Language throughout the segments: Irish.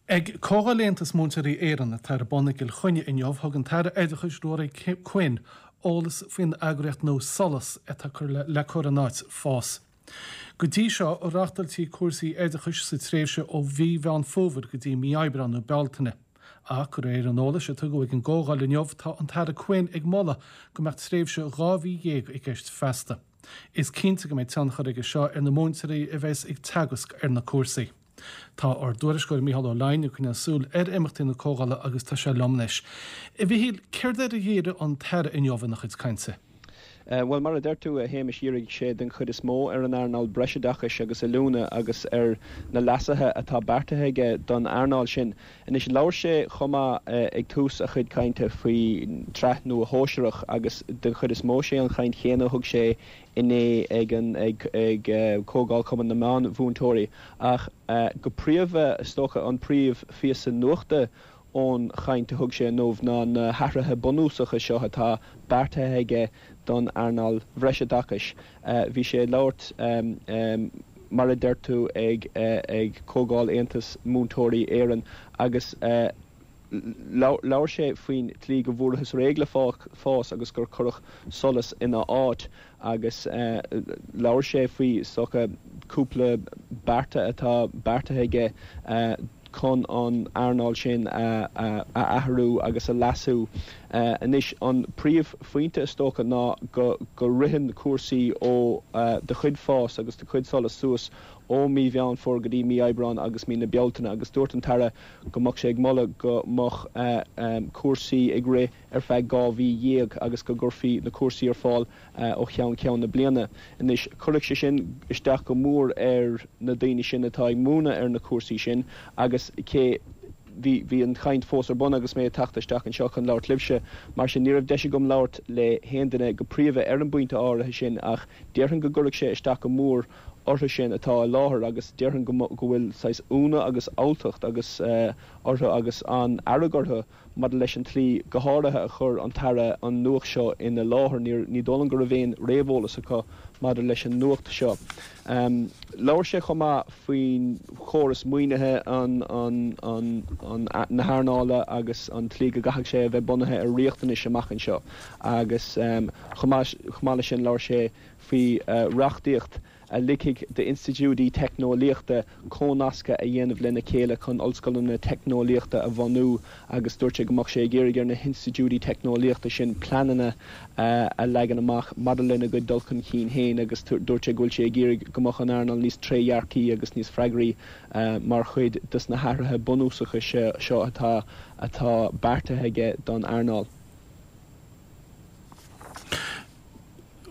Ag Comhdháil Aontas Múinteoirí Éireann atá ar bun i gCill Chainnigh inniu, thug an tAire Oideachais Ruairí Quinn eolas faoin eagraíocht nua SOLAS atá le cur in áit FÁS. Go dtí seo, reáchtáiltí cúrsaí oideachais sa tréimhse ó mhí Mheán Fómhair go dtí mí Aibreáin nó Bealtaine. Ach, de réir an eolais a tugadh ag an gcomhdháil inniu, tá an tAire Quinn ag moladh go mbeadh tréimhse 12 mhí i gceist feasta. Is cinnte go mbeidh tionchar aige seo ar na múinteoirí a bheas ag teagasc ar na cúrsaí. Tá ár dtuairisceoir Mícheál Ó Leidhin ag coinneáil súil ar imeachtaí na comhdhála agus tá sé liom anois. A Mhichíl, céard air a dhírigh an tAire inniu ina chuid cainte? Bhuel, mar a deir tú, a Shéamais, dhírigh sé den chuid is mó ar an earnáil breisoideachais agus oiliúna agus ar na leasuithe atá beartaithe aige don earnáil sin. Anois, labhair sé chomh maith ag tús a chuid cainte faoin tsraith nua shóisearach agus den chuid is mó sé an chaint chéanna a thug sé inné ag an ag Comhdháil Chumann na Meán-Mhúinteoirí ach go príomha, is dócha, an príomh-phíosa nuachta ón chaint a thug sé inniu ná na hathruithe bunúsacha seo atá beartaithe aige don earnáil bhreisoideachais. Bhí sé ag labhairt, mar a deir tú, ag ag Comhdháil Aontas Múinteoirí Éireann agus labhair sé faoin tslí go bhfuarathas réidh le fás agus gur cuireadh solas ina áit agus labhair sé faoi, is dócha, cúpla bearta atá beartaithe aige chun an earnáil sin a athrú agus a leasú. Anois, an príomhphointe, is dócha, ná go ritheann cúrsaí ó de chuid fás agus de chuid solas suas ó mí Mheán Fómhair go dtí mí Aibreáin agus mí na Bealtaine agus dúirt an tAire go mbeadh sé ag moladh go mbeadh cúrsaí ag rith ar feadh 12 mhí agus go gcuirfí na cúrsaí ar fáil ó cheann ceann na bliana. Anois, cuirfidh sé sin isteach go mór ar na daoine sin atá ag múineadh ar na cúrsaí sin agus cé, bhí, bhí an chaint fós ar bun agus mé ag teacht isteach anseo chun labhairt libhse, mar sin ní raibh deis agam labhairt le haon duine go príomha ar an bpointe áirithe sin ach déarfainn go gcuirfidh sé isteach go mór orthu sin atá i láthair agus déarfainn go go bhfuil saghas ionadh agus alltacht agus orthu agus an-fhearg orthu maidir leis an tslí go háirithe a chuir an tAire an nuacht seo ina láthair. Ní dóigh liom go raibh aon réamheolas acu maidir leis an nuacht seo. Labhair sé chomh maith faoin chóras maoinithe na hearnála agus an tslí go gcaithfidh sé a bheith bunaithe ar riachtanais amach anseo agus chomh maith leis sin labhair sé faoi reachtaíocht a ligfidh d'institiúidí teicneolaíochta comhnascadh a dhéanamh lena chéile chun ollscoileanna teicneolaíochta a bhunú agus dúirt sé go mbeadh sé ag iarraidh ar na hinstitiúidí teicneolaíochta sin pleananna a leagan amach maidir lena gcuid dul chun cinn féin agus dúirt sé go bhfuil sé ag iarraidh go mbeadh an earnáil níos trédhearcaí agus níos freagraí mar chuid des na hathruithe bunúsacha seo atá atá beartaithe aige don earnáil.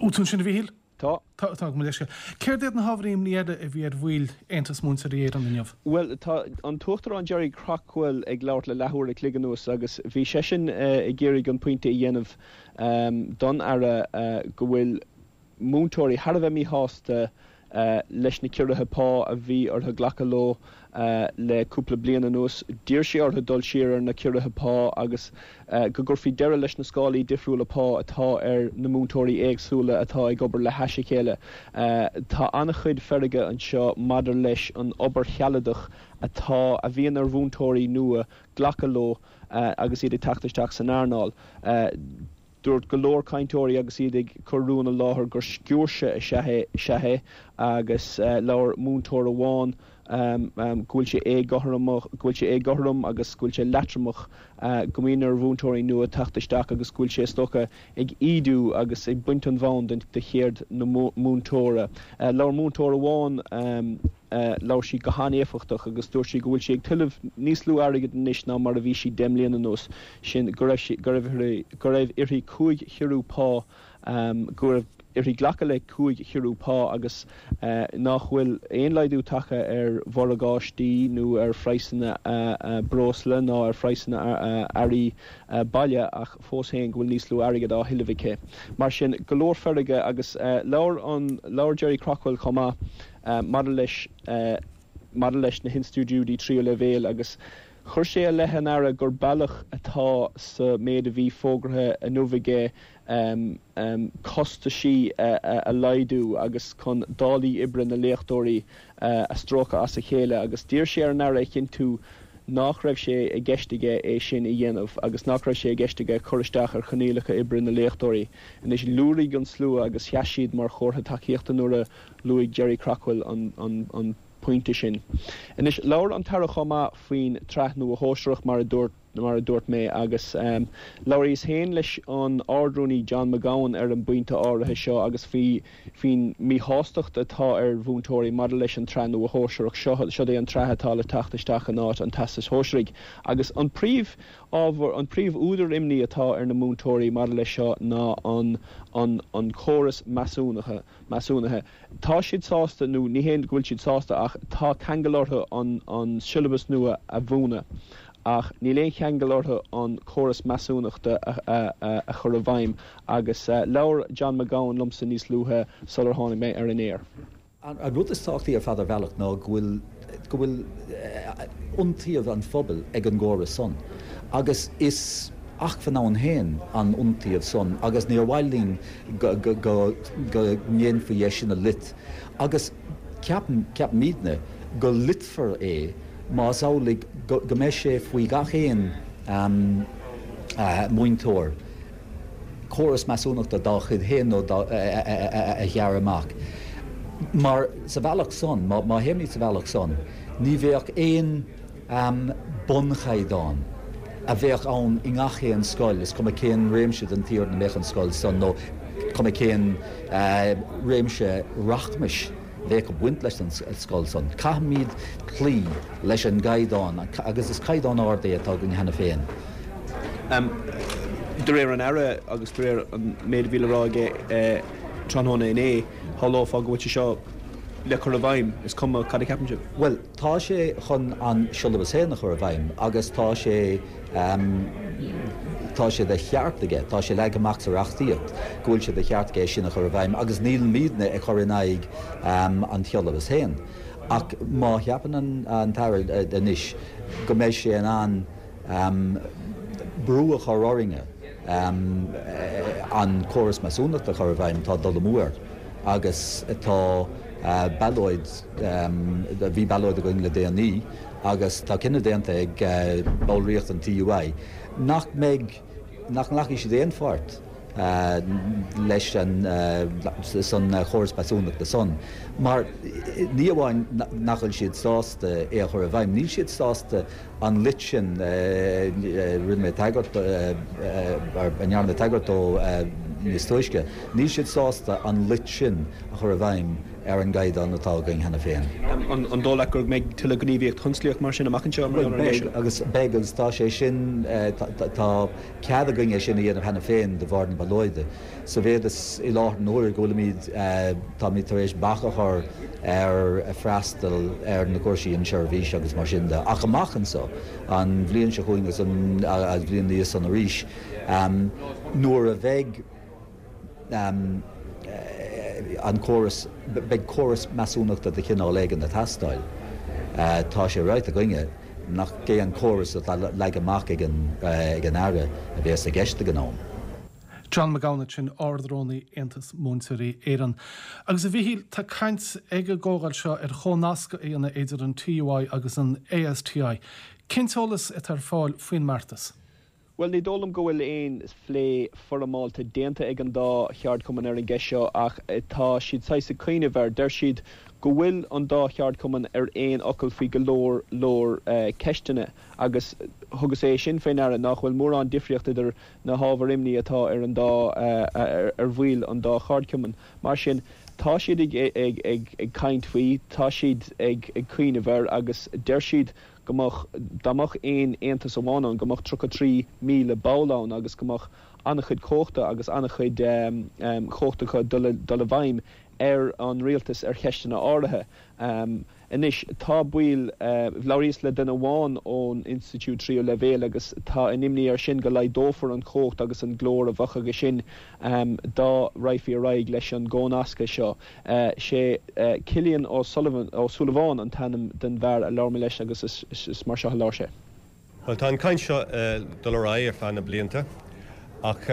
Bhfuil tú ansin a Mhichíl? Tá. Tá, tá, gabh mo leithscéal. Céard iad na hábhair imní eile a bhí ar bhaill Aontas Múinteoirí Éireann inniu? Bhuel, tá an tUachtarán Gerry Craughwell ag labhairt le leathuair a chloig anuas agus bhí seisean ag iarraidh an pointe a dhéanamh don Aire go bhfuil múinteoirí thar a bheith míshásta leis na ciorruithe pá a bhí orthu glacadh leo le cúpla bliain anuas. D'iarr sé orthu dul siar ar na ciorruithe pá agus go gcuirfí deireadh leis na scálaí difriúla pá atá ar na múinteoirí éagsúla atá ag obair le hais a chéile. Tá an-chuid feirge anseo maidir leis an obair shealadach atá a bhíonn ar mhúinteoirí nua glacadh leo agus iad ag teacht isteach san earnáil. Dúirt go leor cainteoirí agus iad ag cur rún i láthair gur sciúirse is ea é agus labhair múinteoir amháin go bhfuil sé éagothromach, go bhfuil sé éagothrom agus go bhfuil sé leatromach go mbíonn ar mhúinteoirí nua teacht isteach agus go bhfuil sé is dócha ag ídiú agus ag baint an bhonn de cheird na múinteora. Labhair múinteoir amháin. Labhair sí go han-éifeachtach agus dúirt sí go bhfuil sí ag tuilleamh níos lú airgid anois ná mar a bhí sí 10 mbliana anuas, sin go raibh sí, go raibh uirthi, go raibh uirthi 5 chiorrú pá, go raibh uirthi glacadh le 5 chiorrú pá agus nach bhfuil aon laghdú tagtha ar mhorgáistí nó ar phraghsanna breosla ná ar phraghsanna earraí baile ach fós féin go bhfuil níos lú airgid á thuilleamh aici. Mar sin, go leor feirge agus labhair an, labhair Gerry Craughwell chomh maith. maidir leis maidir leis na hinstiúidí tríú leibhéal agus chuir sé i leith an Aire gur bealach atá sa méid a bhí fógartha inniu aige costaisí a laghdú agus chun dálaí oibre na léachtóirí a stróiceadh as a chéile agus d'iarr sé ar an Aire a chinntiú. nach raibh sé i gceist aige é sin a dhéanamh agus nach raibh sé i gceist aige cur isteach ar choinníollacha oibre na léachtóirí. Anois, liúraigh an slua agus sheas siad mar chomhartha tacaíochta nuair a luaigh Gerry Craughwell an pointe sin. Anois, labhair an tAire chomh maith faoin tsraith nua shóisearach, mar a dúirt mar a dúirt mé, agus labhraíos féin leis an Ard-Rúnaí John McGowan ar an bpointe áirithe seo agus faoi faoin míshástacht atá ar mhúinteoirí maidir leis an tsraith nua shóisearach seo. Siod é an tsraith atá le teacht isteach in áit an Teastais Shóisearaigh agus an príomh ábhar, an príomh údar imní atá ar na múinteoirí maidir leis seo ná an an an córas measúnaithe. measúnaithe. Tá siad sásta, nó ní hé go bhfuil siad sásta ach tá ceangal orthu an an siollabas nua a mhúineadh ach níl aon cheangal orthu an córas measúnachta a a chur i bhfeidhm agus labhair John McGowan liomsa níos luaithe sular tháinig mé ar an aer. An rud is tábhachtaí ar fad ar bhealach ná go bhfuil go bhfuil iontaoibh an phobail ag an gcóras san agus is acmhainn ann féin an iontaoibh san agus níor mhaith linn go ndéanfaí é sin a loit agus ceapaim, ceapaimidne, go loitfear é más amhlaidh go mbeidh sé faoi gach aon múinteoir córas measúnachta dá chuid féin nó dá a ghearradh amach. Mar sa bhealach san, má théimid sa bhealach san, ní bheadh aon bunchaighdeán a bheadh ann i ngach aon scoil, is cuma cén réimse den tír ina mbeadh an scoil san nó cuma cén réimse rachmais. bheadh ag baint leis an scoil san. Caithfimid cloí leis an gcaighdeán agus is caighdeán ard é atá againn cheana féin. De réir an Aire agus de réir an méid a bhí le rá aige tráthnóna inné, shamhlófá go bhfuil sé seo le cur i bhfeidhm, is cuma cad a cheapann sibh. Bhuel, tá sé chun an siollabas féin a chur i bhfeidhm agus tá sé. Tá sé de cheart aige, tá sé leagtha amach sa reachtaíocht go bhfuil sé de cheart aige é sin a chur i bhfeidhm agus nílimidne ag cur in aghaidh an tsiollabais féin. Ach má cheapann an tAire anois go mbeidh sé in ann brú a chur orainne an córas measúnachta a chur i bhfeidhm, tá dul amú air agus tá ballóid, bhí ballóid againn le déanaí, Agus tá cinneadh déanta ag ballraíocht an TUI nach mbeidh, nach nglacfaidh siad aon pháirt leis an, san chóras measúnachta san. Mar ní amháin nach bhfuil siad sásta é a chur i bhfeidhm, níl siad sásta an loit sin, rinne mé tagairt, a ndearna mé tagairt dó níos túisce, níl siad sásta an loit sin a chur i bhfeidhm. ar an gcaighdeán atá againn cheana féin. An dóigh leat go mbeidh tuilleadh gníomhaíocht thionsclaíoch mar sin amach anseo mar gheall ar an gceist seo? Beidh, agus beidh, agus tá sé sin, tá cead againn é sin a dhéanamh cheana féin de bharr na ballóide. Sa mhéad is i láthair na huaire go bhfuilimid, táimid tar éis bac a chur ar freastal ar na cúrsaí inseirbhíse agus mar sin de. Ach amach anseo, an bhliain seo chugainn agus an bhliain ina dhiaidh san arís, nuair a bheidh, an córas, beidh córas measúnachta de chineál éigin ag teastáil. Tá sé ráite againne nach é an córas atá leagtha amach ag an Aire a bhéas i gceist ag an am. John McGowan ansin, Ard-Rúnaí Aontas Múinteoirí Éireann. Agus a Mhichíl, tá caint ag an gcomhdháil seo ar chomhnascadh a dhéanamh idir an TUI agus an ASTI. Cén t-eolas atá ar fáil faoin mbeartas? Bhuel, ní dóigh liom go bhfuil aon phlé foirmeálta déanta ag an dá cheardchumann ar an gceist seo ach tá siad saghas ag cuimhneamh air. Deir siad go bhfuil an dá cheardchumann ar aon fhocal faoi go leor leor ceisteanna agus thugas é sin faoi ndeara nach bhfuil mórán difríocht idir na hábhair imní atá ar an dá ar bhaill an dá cheardchumann. Mar sin, tá siad ag ag ag caint faoi, tá siad ag ag cuimhneamh air agus deir siad go mbeadh, dá mbeadh aon aontas amháin ann, go mbeadh 33,000 ball ann agus go mbeadh an-chuid cumhachta agus an-chuid cumhachta acu dul dul i bhfeidhm ar an rialtas ar cheisteanna áirithe. Anois, tá baill, labhraíos le duine amháin ón institiúid tríú leibhéal agus tá an imní air sin go laghdófar an chumhacht agus an glór a bheadh aige sin dá raghfaí ar aghaidh leis an gcónascadh seo. Sé Cillian Ó Sullivan, Ó Súilleabháin an t-ainm den bhfear a labhair mé leis agus is mar seo a labhair sé. Bhuel, tá an chaint seo ag dul ar aghaidh ar feadh na blianta ach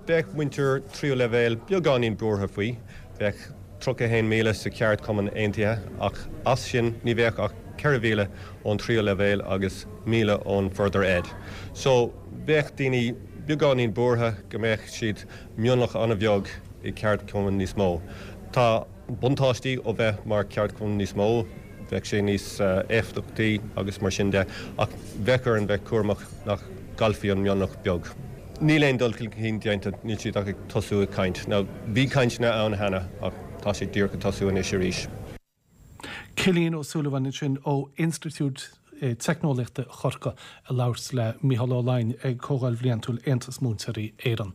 bheadh muintir tríú leibhéal beagáinín buartha faoi. Bheadh 31,000 sa cheardchumann aontaithe ach as sin ní bheadh ach. 4,000 ón tríú leibhéal agus 1,000 ón Further Ed. So, bheadh daoine beagáinín buartha go mbeadh siad mionlach an-bheag i gceardchumann níos mó. Tá buntáistí ó bheith mar cheardchumann níos mó, bheadh sé níos éifeachtaí agus mar sin de, ach bheadh orainn bheith cúramach nach gcaillfí an mionlach beag. Níl aon dul chun cinn déanta, níl siad ach ag tosú ag caint. Now, bhí cainteanna ann cheana ach tá sé díreach ag tosú anois arís. Cillian Ó Súilleabháin ansin ó Institiúid Teicneolaíochta Chorcaí ag labhairt le Mícheál Ó Laighin ag Comhdháil Bhliantúil Aontas Múinteoirí Éireann.